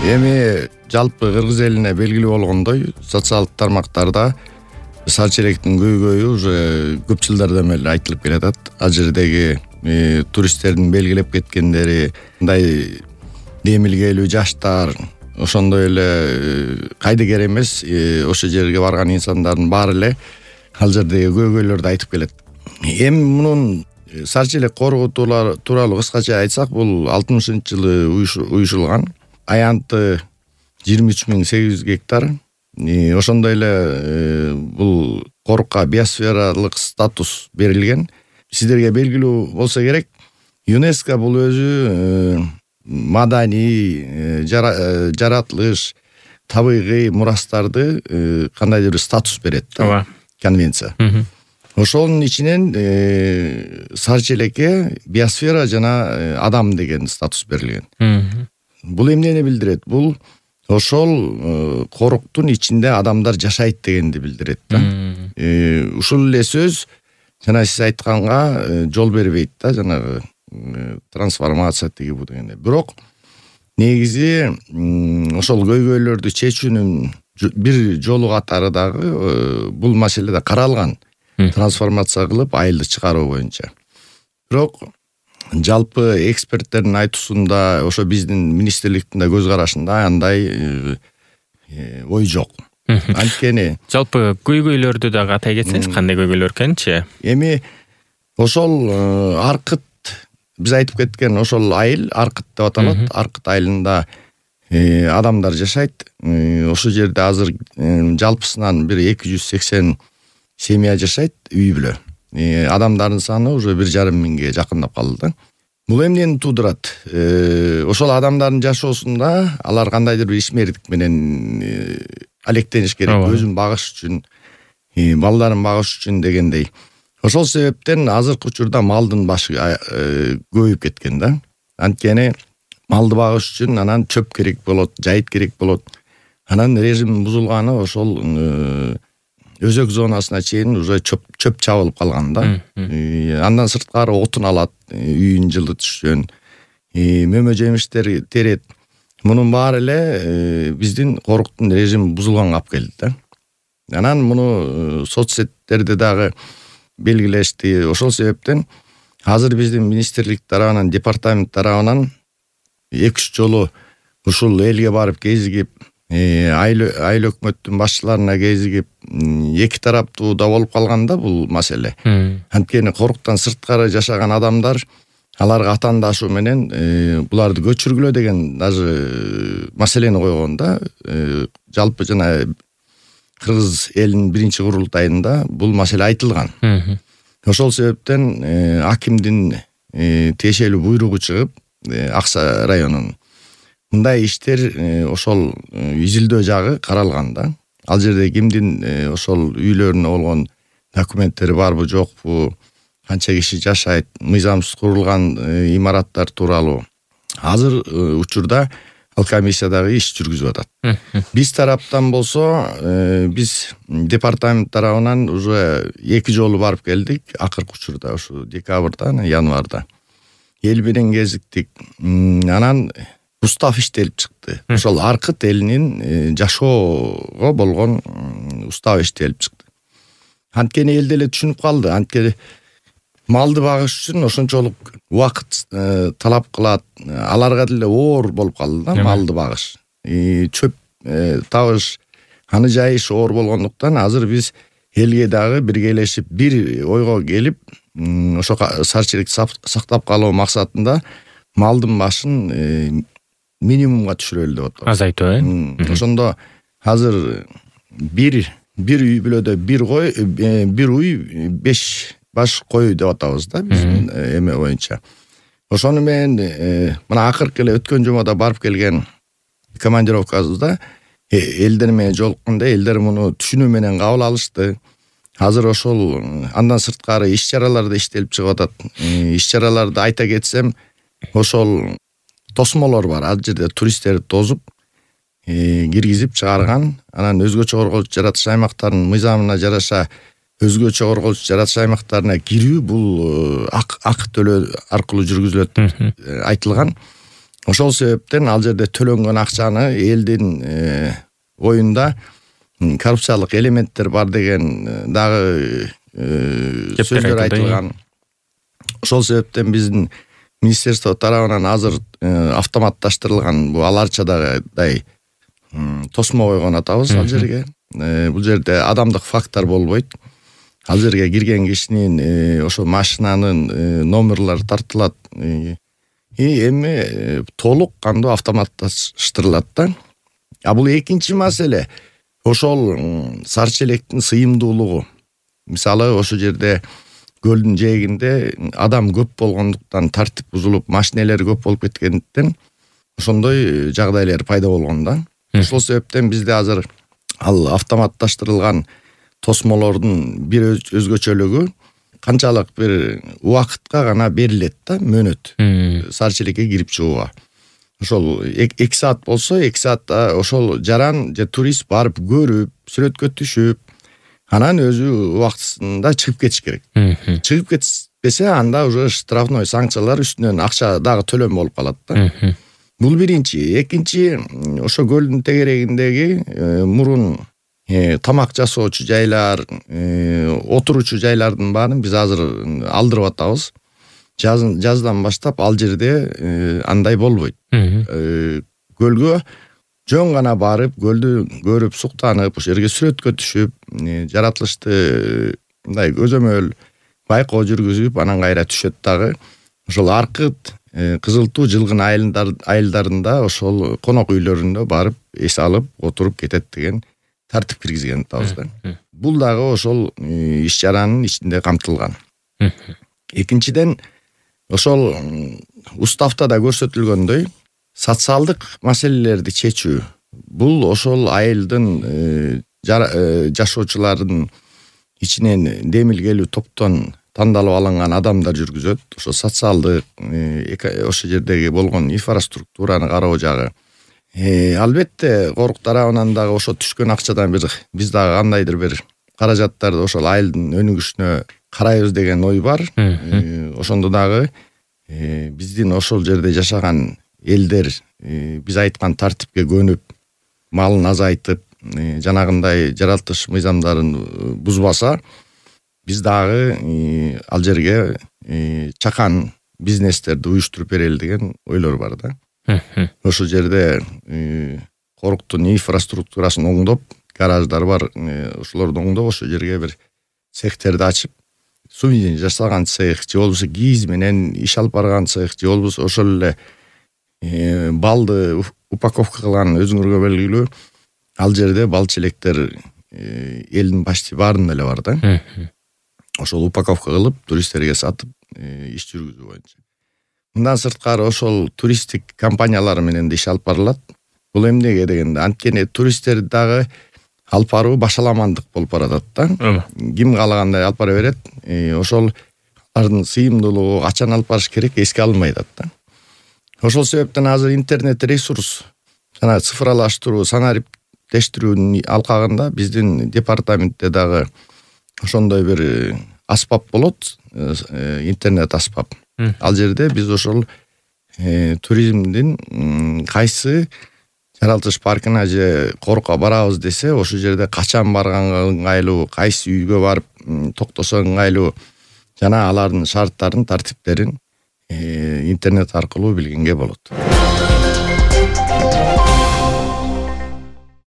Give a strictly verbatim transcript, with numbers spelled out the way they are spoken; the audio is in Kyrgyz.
Эми жалпы Кыргыз элине белгилүү болгондой, социалдык тармактарда сар челектин көйгөйү уже көп жылдардан бери айтылып келатат. Ал жердеги э, туристтердин белгилеп кеткендери, мындай демилгелүү жаштар, ошондой эле э, кайдыгер эмес, э, ошо жерге барган инсандардын баары эле ал жердеги көйгөйлөрдү айтып келет. Эми мунун сар челек коргоо тууралуу кыскача айтсак, бул алтымышынчы жылы уюшулган. Аянты жыйырма үч миң сегиз жүз гектар. Ошондой эле бул корукка биосфералык статус берилген. Сиздерге белгилүү болсо керек, ЮНЕСКО бул өзү маданий, жаратылыш, табигый мурастарды кандайдыр бир статус берет да, конвенция. Ошонун ичинен сар челекке биосфера жана адам деген статус берилген. Бул эмнени билдирет? Бул ошол коруктун ичинде адамдар жашайт дегенди билдирет да. Ушул эле сөз жана сиз айтканга жол бербейт да, жанагы трансформация тиги бу дегенде. Бирок негизи ошол көйгөйлөрдү чечүүнүн бир жолу катары дагы бул маселе да каралган. Трансформация кылып айылды чыгаруу боюнча. Бирок жалпы эксперттердин айтуусунда, ошо биздин министрликтин да көз карашында андай ой жок. Анткени жалпы көйгөйлөрдү дагы атай кетсеңиз, кандай көйгөйлөр экенчи? Эми ошол Аркыт, биз айтып кеткен ошол айыл Аркыт деп аталат. Аркыт айылында адамдар жашайт. Ошол жерде азыр жалпысынан бир эки жүз сексен семья жашайт, үй бүлө. Адамдардын саны уже бир жарым миңге жакындап калды да. Бул эмнени туудурат? Ошол адамдардын жашоосунда алар кандайдыр бир ишмердик менен алектениш керек, өзүн багыш үчүн, балдарын багыш үчүн дегендей. Ошол себептен азыркы учурда малдын башы көбөйүп кеткен да. Анткени малды багыш үчүн анан чөп керек болот, жайыт керек болот. Анан режим бузулганы ошол өзөк зонасына чейин уже чөп чөп чабылып калган да. Андан сырткары отун алат, үйүн жылытыш үчүн, мөмө жемиштер терет. Мунун баары эле биздин коруктун режими бузулганга алып келди да. Анан муну соцсеттерде дагы белгилешти. Ошол себептен азыр биздин министрлик тарабынан, департамент тарабынан эки үч жолу ушул элге барып кезигип, айыл өкмөттүн башчыларына кезигип, эки тараптуу да болуп калганда бул маселе. Анткени коруктан сырткары жашаган адамдар аларга атаандашуу менен буларды көчүргүлө деген даже маселени койгон да. Жалпы жана Кыргыз элинин биринчи курултайында бул маселе айтылган. Ошол себептен акимдин тиешелүү буйругу чыгып, Аксай районунун мындай иштер ошол изилдөө жагы каралган да. Ал жерде кимдин ошол үйлөрүнө болгон документтери барбы, жокпу, канча киши жашайт, мыйзамсыз курулган имараттар тууралуу азыр учурда ал комиссия дагы иш жүргүзүп атат. Биз тараптан болсо, биз департамент тарабынан уже эки жолу барып келдик, акыркы учурда ушу декабрда, январда. Эл менен кезиктик. Анан устав иштелип чыкты. Ошол Аркыт элинин жашоого болгон устав иштелип чыкты. Анткени эл деле түшүнүп калды. Анткени малды багыш үчүн ошончолук убакыт талап кылат. Аларга деле оор болуп калды да малды багыш. Чөп табыш, аны жайыш оор болгондуктан азыр биз элге дагы биргелешип бир ойго келип, ошо сар челекти сактап калуу максатында малдын башын минимумга түшүрөлү деп атабыз. Азайтуу, э? Ошондо азыр бир бир үй бүлөдө бир кой, бир уй беш баш кой деп атабыз да биздин эме боюнча. Ошону менен мына акыркы эле өткөн жумада барып келген командировкабызда элдер менен жолукканда элдер муну түшүнүү менен кабыл алышты. Азыр ошол андан сырткары иш-чаралар да иштелип чыгып атат. Иш-чараларды айта кетсем, ошол тосмолор бар. Ал жерде туристтерди тосуп, киргизип чыгарган. Анан өзгөчө корголчу жаратылыш аймактарынын мыйзамына жараша өзгөчө корголчу жаратылыш аймактарына кирүү бул ак ак төлөө аркылуу жүргүзүлөт айтылган. Ошол себептен ал жерде төлөнгөн акчаны элдин оюнда коррупциялык элементтер бар деген дагы сөздөр айтылган. Ошол себептен биздин министерство тарабынан азыр автоматташтырылган бул аларчадай тосмо койгон атабыз ал жерге. Бул жерде адамдык фактор болбойт. Ал жерге кирген кишинин ошо машинанын номерлары тартылат. И эми толук кандуу автоматташтырылат да. А бул экинчи маселе ошол сары челектин сыйымдуулугу. Мисалы ошол жерде көлдүн жээгинде адам көп болгондуктан тартип бузулуп, машинелер көп болуп кеткендиктен ошондой жагдайлар пайда болгон да. Ошол себептен бизде азыр ал автоматташтырылган тосмолордун бир өзгөчөлүгү канчалык бир убакытка гана берилет да, мөөнөт сары челекке кирип чыгууга. Ошол эки саат болсо, эки саатта ошол жаран же турист барып көрүп, сүрөткө түшүп, анан өзү убактысында чыгып кетиш керек. Чыгып кетпесе, анда уже штрафной санкциялар үстүнөн акча дагы төлөм болуп калат да. Бул биринчи. Экинчи, ошо көлдүн тегерегиндеги мурун тамак жасоочу жайлар, отуручу жайлардын баарын биз азыр алдырып атабыз. Жаздан баштап ал жерде андай болбойт. Көлгө жөн гана барып, көлдү көрүп, суктанып, ошол жерге сүрөткө түшүп, жаратылышты мындай көзөмөл байкоо жүргүзүп, анан кайра түшөт дагы. Ошол аркыт кызылтуу жылгын айылдарында ошол конок үйлөрүндө барып эс алып, отуруп кетет деген тартип киргизген атабыз да. Бул дагы ошол иш чаранын ичинде камтылган. Экинчиден, ошол уставта да көрсөтүлгөндөй, социалдык маселелерди чечүү. Бул ошол айылдын жашоочулардын ичинен демилгелүү топтон тандалып алынган адамдар жүргүзөт. Ошо социалдык, ошол жердеги болгон инфраструктураны кароо жагы. Албетте, Корук тарабынан дагы ошо түшкөн акчадан бир биз дагы кандайдыр бир каражаттарды ошол айылдын өнүгүшүнө карайбыз деген ой бар. Ошондо дагы биздин ошол жерде жашаган элдер биз айткан тартипке көнүп, малын азайтып, жанагындай жаратылыш мыйзамдарын бузбаса, биз дагы ал жерге чакан бизнестерди уюштуруп берели деген ойлор бар да. Ошол жерде Коруктун инфраструктурасын оңдоп, гараждар бар, ошолорду оңдоп, ошол жерге бир цехтерди ачып, сувенир жасаган цех, же болбосо кийиз менен иш алып барган цех, же болбосо ошол эле балды упаковка кылган өзүңөргө белгилүү ал жерде бал челектер элдин почти баарында эле бар да. Ошол упаковка кылып, туристтерге сатып, иш жүргүзүү боюнча. Мындан сырткары ошол туристтик компаниялар менен да иш алып барылат. Бул эмнеге дегенде, анткени туристтер дагы алып баруу башаламандык болуп баратат да. Ким каалагандай алып бара берет. Ошол алардын сыйымдуулугу, качан алып барыш керек эске алынбай атат да. Ошол себептен азыр интернет ресурс, жана цифрлаштыруу, санариптештирүүнүн алкагында биздин департаментте дагы ошондой бир аспап болот, интернет аспап. Ал жерде биз ошол туризмдин кайсы жаратылыш паркына же Корукка барабыз десе, ошол жерде качан барганга ыңгайлуу, кайсы үйгө барып токтосо ыңгайлуу, жана алардын шарттарын, тартиптерин интернет аркылуу билгенге болот.